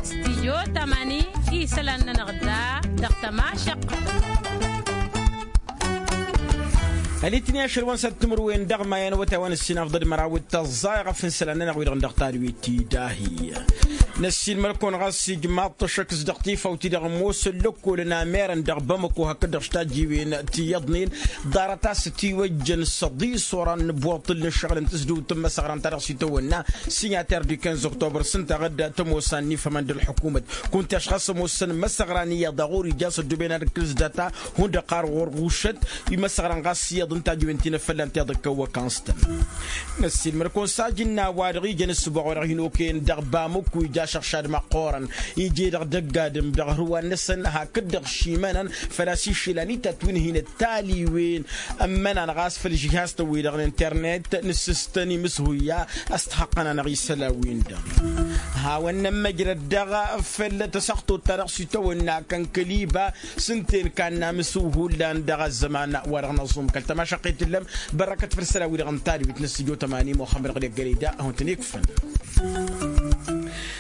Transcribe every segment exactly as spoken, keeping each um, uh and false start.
Stijyo tamani isălan-nănăɣ da dăɣ-tămašăqqăt. Ălitni ašăl wa n-săt timǝrwen dăɣ-mayan wătay wa n-ǝssin afḍăd măraw d-tăẓẓa iɣăf n-isălan-nănăɣ wi-dăɣ n-dăɣ tadwit-i dahi. Năssiinmăl-kăwăn ɣas ijmaḍ-t ăššăk s-dăɣ tifawt-i-dăɣ ămoosăn lăkkolăn amerăn dăɣ-bamăko hakd-dăɣ s-tajjiwen ti iyyăḍnen. Ḍarăt a-s ătiwăjjăn săḍis oran n-ăbboṭṭǝl n-ǝššăɣǝl n-tǝsdǝwt n-imăsăɣran-ta-dăɣ s-itawănna. Sinyatăr di quinze octobre s-ǝnta a ɣǝdda tămosa ănnifămăn d-ălḥukumăt. Kunta a-s ɣas ămoosăn imăsăɣran iyyăḍ a ɣur-ija s-ăddooben ad-ǝkkǝl s-data hundăɣ har ɣur-ɣušăt. Imăsăɣran ɣas iyyăḍ n-tajjiwen ti n-efălla n-tiḍǝkka ăwwăkăn s-tăn. Năssiilmăr-kăwăn s-ajǝnna wa-dăɣ ijăn ǝssǝboɣ wa dăɣ-hin-okăyăn dăɣ-bamǝkku ija ašăɣšad măqqoorăn. Ije-dăɣ dăgg-adǝm dăɣ-hărwa-năsăn hakd-dăɣ šimănăn făl-a-s išǝlan itat wi n-hin-ăttaliwen. Ămmănan ɣas făll-žihaz-tăn-wi-dăɣ n-internet n-ǝssǝstăn imǝshuyya. A-s t-haqqăn-anăɣ isălan-win-dăɣ hawăn-nămmăjrăd dăɣ-făll-tăsăɣtot-ta-dăɣ s-itawănna kăn kăl-iba. S-ǝnta-en kannamǝsǝw hullan dăɣ-ăzzăman wa dăɣ-năẓum kăl-tămašăqqet tǝllăm. Bărrăkăt făll-isălan-wi-dăɣ n-tadwit n-ăssijo tămani muxămmăd ɣǝd eggălăy da a hawăn-tăn-ikfăn.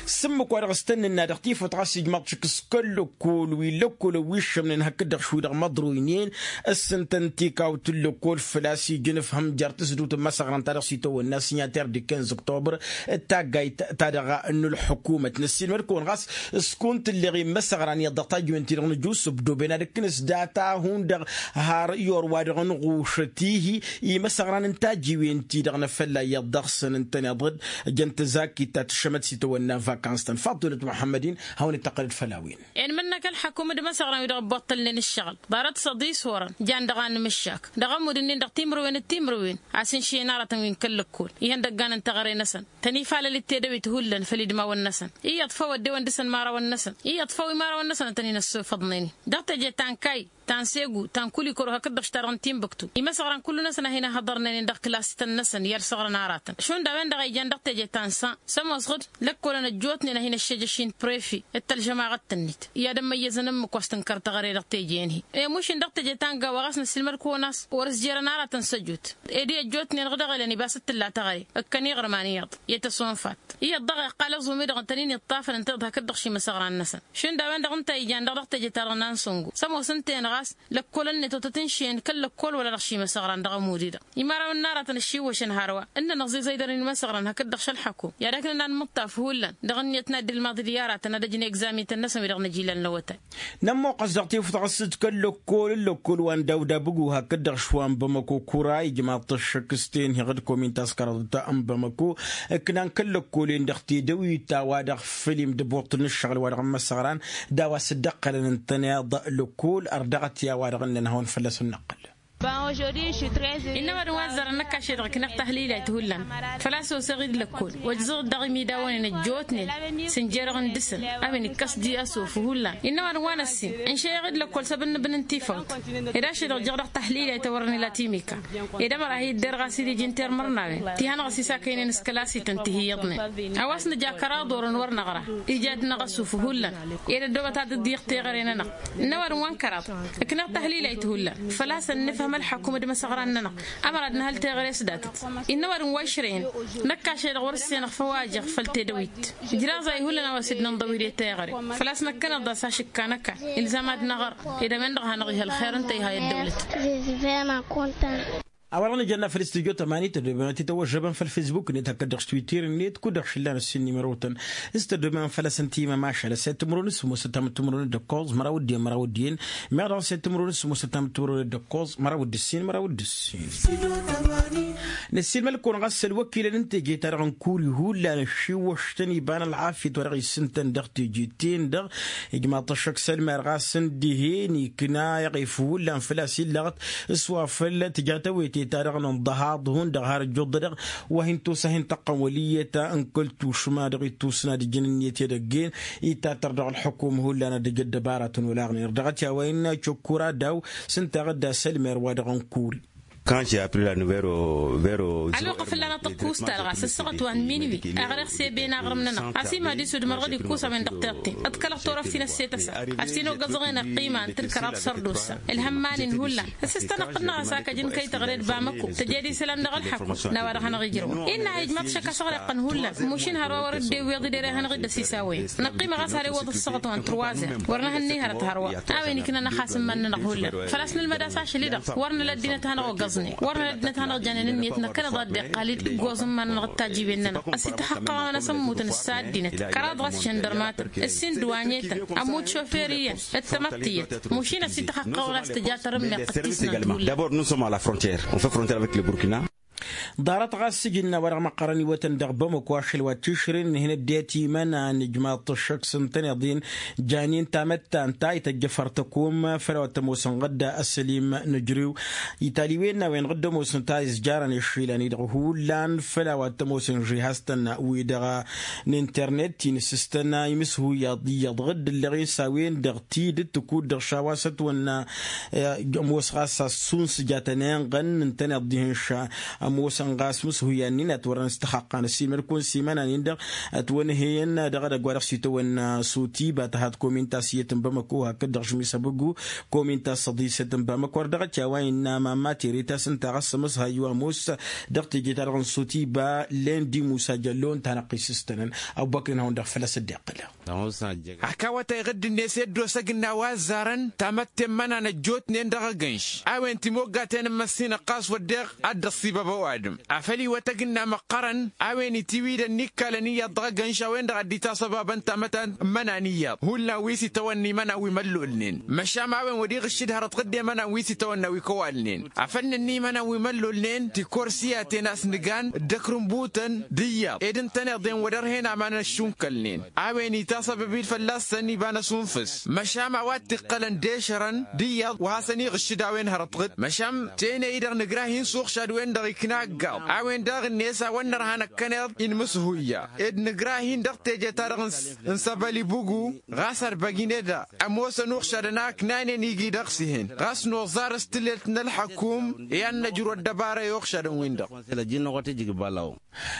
S-ǝmmǝk wa dăɣ-s tăn-nǝnna dăɣ-tifawt ɣas ijmaḍ-t šik s-kăl-lăkkol wi n-lăkkolăn wi ǝššămnen hakd-dăɣ šwi dăɣ-măḍroynen. S-ǝntăn tikawt n-lăkkol făl-a-s ijăn ǝfhǝm jer-tǝsdǝwt n-imăsăɣran-ta-dăɣ s-itawănna sinyatăr di quinze octobre. D-taggayt ta dăɣ-a n-ǝlḥǝkumăt năssiilmăd-kăwăn ɣas s-kunt ǝlleɣ i-imăsăɣran iyyăḍ dăɣ-tajjiwen-ti-dăɣ nǝjusǝb doben ad-ǝkkǝn s-data hundăɣ har i-or wa dăɣ-nǝɣušăt ihi. Imăsăɣran n-tajjiwen-ti-dăɣ n-afălla iyyăḍ dăɣ-săn ǝntăneḍ-dd. Jăn tăzakit ta tǝššămăt s-itawănna vakans-tăn faḍulăt muḥămmăd-in. Hawăn-dd-tăqqălăd făll-a-wen. Inmǝnnăk ălḥăkum d-imăsăɣran wi dăɣ-ăbboṭṭălnen ǝššăɣǝl ḍarăt săḍis orăn jan dăɣ-anǝmǝššak dăɣ-ămudd-nin dăɣ-timǝrwen d-timǝrwen. A-s ǝnšǝyăn aratăn wi n-kăl-lăkkol ihăndăggan n-teɣăre-năsăn. Tăn-ifalăl d-tedăwit hullan făll-idmawăn-năsăn iyyăḍ făw ăddewăn dăɣ-săn imărawăn-năsăn iyyăḍ făw imărawăn-năsăn ad-tăn-in-ăssofăḍnen-i dăɣ-teje ta n-kay ta n-segu ta n-kulikoro hakd-dăɣ š-ta-dăɣ n-tinbǝktu. Imăsăɣran kullu-năsăn a hin-ăhhăḍărnen-in dăɣ-kǝlas-tăn-năsăn i-ad-săɣrăn aratăn šund a-wen-dăɣ a ijan dăɣ-teje ta n-san s-ămoosăɣ-dd lăkkolăn ăjjootnen a hin-ăššejăš-in prefi d-tălžămaɣăt-tăn-net i-ad-ămmăyyăzăn ǝmmǝk wa s-tǝnkăr teɣăre dăɣ-teje-en-hi. Emušǝn dăɣ-teje ta n-gawa ɣas năssiilmăd-kăwăn a-s wăr-ǝzjerăn aratăn s-ăjut ed i-ăjjootnen dăɣ-dăɣ-elăn ibas d-tǝlla teɣăre ǝkkăn iɣrǝm a n-iyyăḍ i-tăsonfat. Iyyăḍ daɣ iqqal aẓum-i-dăɣ ǝntănen-i ǝṭṭafăn ǝnta-i-dăɣ hakd-dăɣ šimăsăɣran-năsăn šund a-wen-dăɣ ǝnta a ijan dăɣ-dăɣ teje-ta-dăɣ n-ansăngo s-ămoosăn-ten ɣas lăkkolăn-net otăt ǝnšǝyăn kăl-lăkkol wăla dăɣ-šimăsăɣran dăɣ-ămudd-i-dăɣ. Imărawăn n-aratăn ăššiwwăšăn hărwa ǝnnăn ăẓiẓăy dăr-inmăsăɣran hakd-dăɣ šălḥăkum i-ad-ăknăn ad-nǝmǝṭṭaf hullan dăɣ-ǝnniyăt n-ad-dd-ilmaḍ d-i-aratăn ad-ăjnăy egzamităn-năsăn wi-dăɣ n-ajilal n-awătay. Nămmuqqăs dăɣ-tifut ɣas d-kăl-lăkkol n-lăkkol wa n-dawda bǝgu hakd-dăɣ šwa n-bamăko kura ijmaḍ-t ăššăk s-tenheɣ d-komin taskăraḍt n-bamăko. Ǝknan kăl-lăkkolen dăɣ-tedăwit ta wa dăɣ-f fălim d-ăbbuṭṭǝl n-ǝššăɣǝl wa dăɣ-n imăsăɣran d-a-wa s-dd-ăqqălăn ǝntăneḍ lăkkol ărdăɣăt i-a-wa-dăɣ ǝnnăn hawăn-fălla-s ănnăqqǝl. Innă ăwadǝm wa ăzzarăn năkk ašăl-dăɣ ǝknăɣ tahlilayt hullan făl-a-s oseɣ-dd lăkkol ojzăɣ-dd dăɣ-imidawăn-in ăjjootnen. Sǝnjerăɣ-n dăɣ-săn a-wen ikkas-dd i-asuf hullan innă ăwadǝm wa n-ăssin ǝnšăyăɣ-dd lăkkol s-abǝnnǝbǝn n-tifawt. Ed ašăl-dăɣ jăɣ dăɣ-tahlilayt a wăren ila timika ed ămăra hi-dd-erɣ a-s dd-ija n-termărnawen ti hanăɣ-s isakăynen s-kălasităn ti hi-iyyăḍnen. A-wa s-nǝja kăraḍ orăn wăr năɣra ija ad-dăɣ-năɣ asuf hullan ed ăddoobăt ad-dd-iyyăɣ teɣăre-nănăɣ. Ǝnnă ăwadǝm wa n-kăraḍ ǝknăɣ tahlilayt hullan făl-a-s ănnǝfhăm ălḥăkum d-imăsăɣran-nănăɣ. Ămăra ad-nǝhăl teɣăre s-datăt ǝnnă ăwadǝm wa išrăyăn. Năkk ašăl-dăɣ wăr-ǝssenăɣ făw a ăjăɣ făll-tedăwit. Ǝjraẓ a ihullan a-wa s-dd-nǝnḍăw i-de teɣăre făl-a-s năkkăneḍ d-a-s ašǝkka năkall ilzam ad-năɣra ed a-wen-dăɣ a hanăɣ-ihăl xer ǝnta iha i-ăddăwlăt. A-wa-dăɣ nǝjănna făll-studyo tămani tăddoben ad-t-tăwăžžăbăn făll-fesbuk-net hakd-dăɣ s-twitter-net kud-dăɣ šǝllan ăssin n-imărotăn s-tăddoben făll-asăn timămašal ăssayăt timǝrwen s-sǝmmosăt tamǝttimǝrwen d-ǝkkoẓ măraw d-iyyăn măraw d-iyyăn. Meɣ dăɣ-ăssayăt timǝrwen s-sǝmmosăt tamǝttimǝrwen d-ǝkkoẓ măraw d-ǝssin măraw d-ǝssin. Năssiilmăl-kăwăn ɣas ălwăkilăn n-teje-ta-dăɣ n-kuri hullan ăššiwwăš-tăn iba n-ălɣafyăt wa dăɣ-issǝntăn dăɣ-teje-ten-dăɣ. Ijmaḍ-t ăššăk s-ălmer ɣas ǝndihen ikna iɣef hullan făl-a-s illăɣăt s-wa făl tǝja tawete-ta-dăɣ n-ǝnḍăhaḍ hundăɣ har ǝjjuḍ-dăɣ. Wa hin-tosa hin-tăqqăn wăl' iyyăt n-kăl-tušma dăɣ-ittusna d-ǝjǝn ǝnniyăt i-edăgg-en. Itatăr dăɣ-ălḥukum hullan ad-ǝj ăddăbaratăn olaɣnen ărdăɣăt i-a-wa innă căkkura daw s-ǝnta a ɣǝdda s-ălmer wa dăɣ-n kuri. Quand j'ai appris la nouvelle au vero. Ălwăqq fălla-năɣ tăkkusta dăɣ-a-s ăssăɣăt wa n-minwi. Aɣreɣ s-e-ben aɣrǝm-nănăɣ ăsimad isudmăr ɣǝd-ikkusăm-en dăɣ-terten. Ǝḍkălăɣ turăft-in ăsseta s-a ăssin oggăẓăɣen ăqqima n-tǝlkăraḍ sărdusa. Ǝlhămman-in hullan ăssistănăɣ-tănăɣ a-s akăjăn kăy-tăɣred bamăko tăjed isălan dăɣ-ălḥăkku. N-a-wa-dăɣ hanăɣ-ijrăwăn innă a ijmaḍ šăkk asăɣrăqqăn hullan. Mušin hărwa wăr-dd-ewweḍ idere hanăɣ-dd-ăsisawăyăn. Năqqimăɣ a-s har iwwăḍ ǝssăɣăt wa n-turwazăr wăr nǝhǝnni hărăt hărwa. A-wen iknăn ăxasǝmman-nănăɣ hullan făl-a-s nǝlmăd a-s ašăl-i-dăɣ wăr nǝla ăddinăt hanăɣ-oggăẓnen wăr nǝla ăddinăt hanăɣ-janen ǝnniyăt năkkăneḍ a dd-iqqal-dd ǝggoẓ n-iman-nănăɣ d-tajibin-nănăɣ. Ăsităxăqqăɣăn a-s ămmutăn s-a ăddinăt kăraḍ ɣas žăndărmatăn ǝssin d-wa n-etăn ămmut šoferi iyyăn d-tamăḍt tiyyăt. Mušin ăsităxăqqăɣăn a-s tǝja tarǝmmeɣt d-tisnant hullan. D'abord nous sommes à la frontière, on fait frontière avec le burkina. Ḍarăt ɣas sǝjǝnna wa dăɣ-măqqărăn iwătăn dăɣ-bamăko ašăl wa tišren n-hin-ăddinăt imănan ijmaḍ-t ăššăk s-ǝntăneḍ-in. Janin tamăttant ta ităjjăfăr tăkom făll-a-wa t-ămoosăn ɣǝdda ăssălim n-ǝjriw. Italiwen n-a-wen ɣǝdda ămoosăn ta izjarăn išilan-i-dăɣ hullan făll-a-wa t-ămoosăn žihaztăn-wi-dăɣ n-internet-in s-ǝstăna imǝshuyaḍ iyyăḍ ɣǝdd ǝlleɣ-in s-a-wen-dăɣ tidǝt tǝkud-dăɣ šawa s-ătwănna. Ămoos ɣas a-s sunsǝjatăn inɣăn ǝntăneḍ dihen ša ămoosăn ɣas mǝshuyan-in a t-wărăn s-tăxaqqan ăsimăr-kăwăn s-imănan-in-dăɣ. Ătwănhăyăn dăɣ-edăgg wa dăɣ-s itawănna sotiba tăhat kominta s-iyyăt n-bamăko hakd-dăɣ žmisăbǝgu kominta s-săḍisăt n-bamăko wăr dăɣ-t i-a-wa innă mamma tere ta s-ǝnta ɣas ămǝshayyu ămoos dăɣ-teje-ta-dăɣ n-sotiba lendi musa jăllo ǝnta hanăɣ-t isǝstănăn. Ăbubăkr inhawăn-dăɣ făl-a-s dd-iqqǝlăn. Hak awătay ɣǝdd-net i-ăddoos ăgna wa ăzzarăn tamătte n-imănan ăjjootnen dăɣ-agǝnš a-wen timoggaten n-măssinăɣ ɣas wădden ad-dd-ăṣṣibăb ăwadǝm. Afăl iwăt ăgna măqqărăn a-wen itiwidăn n-ikkalăn iyyăḍ dăɣ-agǝnš a-wen-dăɣ a dd-itasăbabăn tamătte n-imănan iyyăḍ hullan wi s-itawănna imănan wi măllolnen. Măšan a-wen wăr-iɣǝššǝd hărăt ɣǝdde imănan wi s-itawănna wi kăwalnen. Afăl nǝnna imănan wi măllolnen tikorsiyaten a-s nǝgan dd-ăkrǝnbutăn d-iyyăḍ ed ǝntăneḍ-en wăr-ărhen aman ăššunkălnen. A-wen itasăbăb-dd fălla-săn iba n-ăsunfǝs măšan a-wa t-iqqălăn d-ešărăn d-iyyăḍ wa hasăn-iɣǝššǝd a-wen hărăt ɣǝd măšan tene-i-dăɣ nǝgra hin-suɣšad-wen-dăɣ ikna ăggaḍ. A-wen daɣ-net a-wa n-nărha năkkăneḍ inmǝshuyya ed nǝgra hin-dăɣ teje-ta-dăɣ n-săbăl ibugu. Ɣas ărbăgin eda ămoosăn uɣšadăn a ǝknanen igi dăɣ-s ihen ɣas noẓar s-tǝlelt n-ălḥăkum i-ad-năjru ăddăbara i-uɣšadăn-win-dăɣ.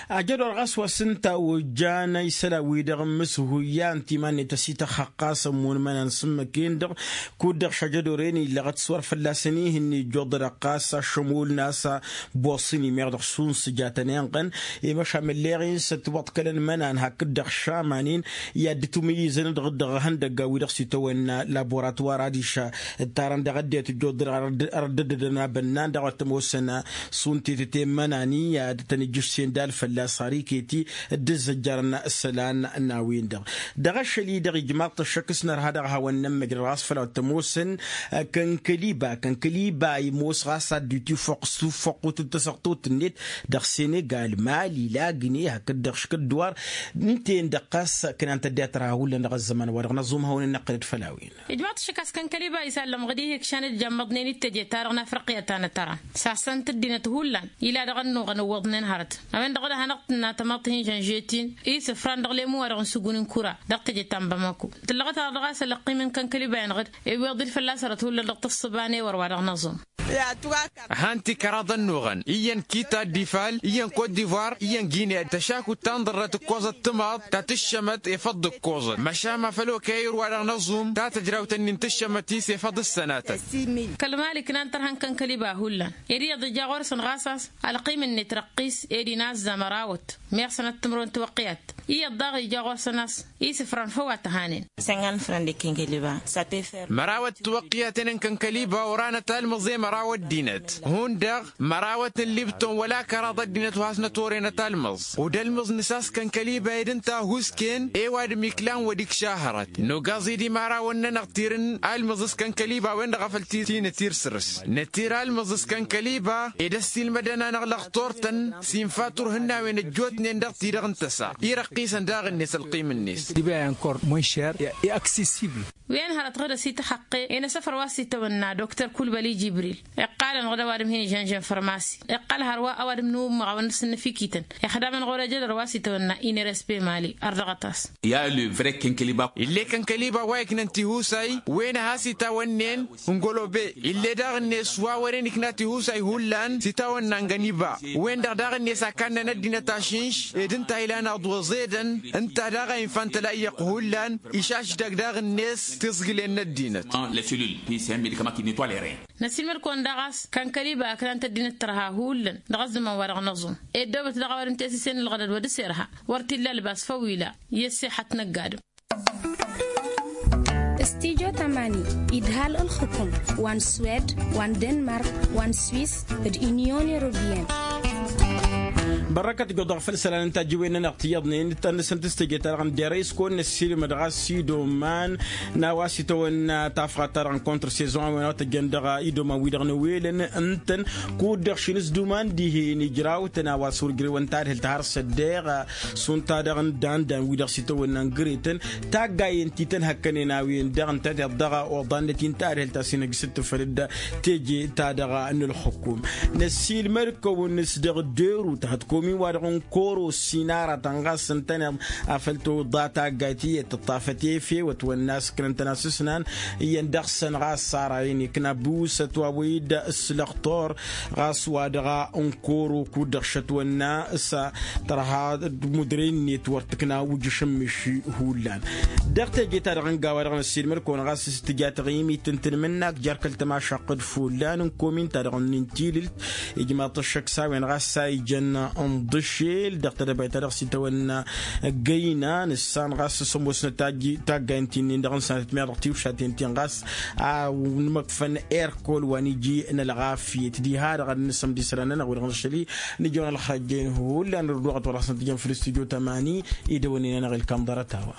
Ajădor ɣas wa s-ǝnta ojjan isălan-wi-dăɣ n-imǝshuyya ǝnta iman-net ăsităxxăqqas ămmun imănan s-ǝmmǝk-en-dăɣ. Kud-dăɣ šajădor-en illăɣăt s-wăr fălla-săn ih'-ǝnni ǝjjuḍădăɣ ɣas ašămul n-a-s boss-in imeɣ dăɣ-šund s-ǝjatăn inɣăn. I-măšan mǝlleɣ-in s-ătwăḍkălăn imănan hakd-dăɣ šaman-in i-ad-dd-tumǝyyǝzăn dăɣ-dăɣ ihăndăggan-wi-dăɣ s-itawănna laboratwar adiš ǝttarăn dăɣ-ăddinăt ǝjjuḍădăɣ ar dd-ăddădădăn abănnan dăɣ-wa t-ămoosăn. Šund tetăte n-imănan i-ad-tăn-ijjǝšsen d-alfălla s-har iket-i dd-ǝzzăjjărăn isălan n-a-wen-dăɣ. Dăɣ-ašăl-i-dăɣ ijmaḍ-t ăššăk s-nărha dăɣ-a-hawăn-nămmăjrăd ɣas făll-a-wa t-ămoosăn. Kănkăliba kănkăliba imoos ɣas ad-dd-itifuqq s-tufuqqut n-tasăɣtut-net dăɣ-senegal mali lagǝne hakd-dăɣ škǝddǝwar. Ǝnta-en-dăɣ ɣas ǝknan tădde a tărha hullan dăɣ-ăzzăman-wa-dăɣ năẓum hawăn-in-năqqǝlăd făll-a-wen. Ijmaḍ-t ašăk a-s kănkăliba isallăm ɣǝd-i hikšan dd-jammăḍnen d-teje-ta-dăɣ n-afriqya ta n-atăra s-asăn-t ăddinăt hullan ila dăɣ-ănnuɣăn ǝwwăḍnen hărăt. A-wen-dăɣ d-ad-hanăɣ-tǝnna tamăḍt hin-žănžet-in isǝfran dăɣ-lemu-wa-dăɣ n-sǝgun n-kura ddăɣ-teje ta n-bamako. Tǝllăɣăt-aɣ dăɣ-a-s ălăqqim n-kănkăliba-in ɣǝd. Iwweḍ-dd fălla-s hărăt hullan dăɣ-tǝssǝba n-ewăr wa dăɣ-năẓum. Ăhan tikăraḍ ănnuɣăn iyyăn kita d-ifal iyyăn kot d'ivoir iyyăn gine tăšakut ta n-ḍărrăt ǝkkoẓăt timaḍt ta tǝššămăt efăḍ d-ǝkkoẓăt măšan ma făl okăy ayǝr wa dăɣ-năẓum ta tăjrawt-ǝnnin tǝššămăt-i s-efăḍ d-sănatăt. Kăl-mali ǝknan tărha n-kănkăliba hullan ed iyyăḍ ija ɣur-săn ɣas a-s ălqim-net răqqis ed inazza mărawăt. Meɣ sănăt timǝrwen tiwăqqiyat iyyăḍ daɣ ija ɣur-săn a-s isǝfran făw a t-ăhanen. Mărawăt tiwăqqiyaten n-kănkăliba oranăt almǝẓ i-măraw ăddinăt hundăɣ mărawăt n-libton wăla kăraḍ ăddinăt wa hasnăt orenăt almǝẓ. Udălmǝẓ nǝsas kănkăliba ed ǝnta a husken i-ăwadǝm iklan wăr-ikša hărăt. Nogaẓ-dd imărawăn-nănăɣ tirǝn almǝẓ s-kănkăliba a-wen-dăɣ a făl tinăt irsǝrǝs nătir almǝẓ s-kănkăliba ed ăssiilmădăn-anăɣ lăɣtor-tăn s-infa turhǝnnawen ăjjootnen dăɣ-ti-dăɣ n-tăsa. Irăqqisăn daɣ-net ălqim-net. Diba i-ankor monšer i-aksisibl. Wi-en hărăt ɣǝdăs ităxăqqe enăsăfăr wa s-itawănna doktor kulbăli jibril. Iqqal-anăɣ d-ăwadǝm hin-ižănžăn fărmasi. Iqqal hărwa ăwadǝm n-ummăɣ a-wa n-dăr-s ǝnnăfikităn. Ixdam-anăɣ wăr-e jădăr wa s-itawănna inerespe mali ărdăɣăt-as. Ill'-e kănkăliba wa iknăn tihusay wen a has-itawănnen. N-golobe ill'-e daɣ-net wa wăren ikna tihusay hullan s-itawănna n-găniba. Wen-dăɣ daɣ-net a kannăn ăddinăt ašǝnš ed ǝnta a ilan aḍu ăẓedăn. Ǝnta daɣ a infa n-tălayyăɣt hullan išašdăg daɣ-net tiẓgǝlen n-ăddinăt. Năsilmăd-kăwăn daɣ a-s kănkăliba ǝknan-t ăddinăt tărha hullan dăɣ-ăzzăman-wa-dăɣ n-aẓum. Ed dăwăt dăɣ-a-wa dăm tesǝsen ǝlɣădăd wăr dăr-s irha wăr t-illa ălbas făw ila. I-ăssexăt n-ăgg-adǝm. Studyo tamani idhal ǝlxǝkum wa n-swed wa n-denmark wa n-swiss d-unyon europeyăn. Bărrăkăt ǝjjuḍăɣ făll-isălan n-tajǝwen-nănăɣ ti iyyăḍnen d-tannăsăn tǝstăje-ta-dăɣ n-dere s-kăwăn-năssiilmăd ɣas s-idoman n-a-wa s-itawănna tafɣat-ta-dăɣ n-kontrăsezon a-wen a wa tăjjăn dăɣ-idoman-wi-dăɣ n-ewelăn ǝntăn. Kud-dăɣ šinǝsduman dihen ijrawtăn a-wa s-wăr jrewăn tadhǝlt har s-ăddeeɣ. Šund-ta-dăɣ n-dandan-wi-dăɣ s-itawănna n-gretăn taggayen ti tăn-hăkkănen a-wen-dăɣ ǝnta tiḍ dăɣ-oḍannăt-i n-tadhǝlt a-s inăjjǝsăt tǝfăl-dd teje-ta-dăɣ n-ǝlxǝkum. Năssiilmăd-kăwăn s-dăɣ derut hătkomin-wa-dăɣ n-koro s-inaratăn ɣas ǝntăneḍ afăl toḍa taggayt iyyăt tǝṭṭafăt efew ătwănna s-ǝknăn-tăn asǝsnan. Iyyăn dăɣ-săn ɣas sara-in ikna ăbusăt wa wăy-dd s-lăxtor ɣas wa dăɣ-a n-koro kud-dăɣ šătwănna s-tărha d-mudre-net wăr tǝkna ujǝš n-miši hullan. Dăɣ-teje-ta-dăɣ n-gawa-dăɣ năssiilmăd-kăwăn ɣas s-tǝja taɣimit n-tanmǝnnak jer-kăl-tămašaqq d-fullan n-komin-ta-dăɣ n-intilǝlt ijmaḍ-t ăššăk s-a-wen ɣas s-a ijăn n-iḍǝšel dăɣ-tedăbayt-ta-dăɣ s-itawănna. Găyna nǝssan ɣas s-ămoosnăt taggayen ti-nin-dăɣ n-sanăt miyaḍ dăɣ-tiwšaten-tin ɣas a nǝmăkfăn erkol wa n-iji n-ălɣafyăt diha-dăɣ ad-nǝsǝmd isălan-nănăɣ wi-dăɣ nǝššăl-i. Nǝjăwăn ălxăjjăyăn hullan ărdăɣăt wăr hasăn-tǝjăn făll-studyo tamani idăwănnen-anăɣ ilkam ḍarăt-a-wa.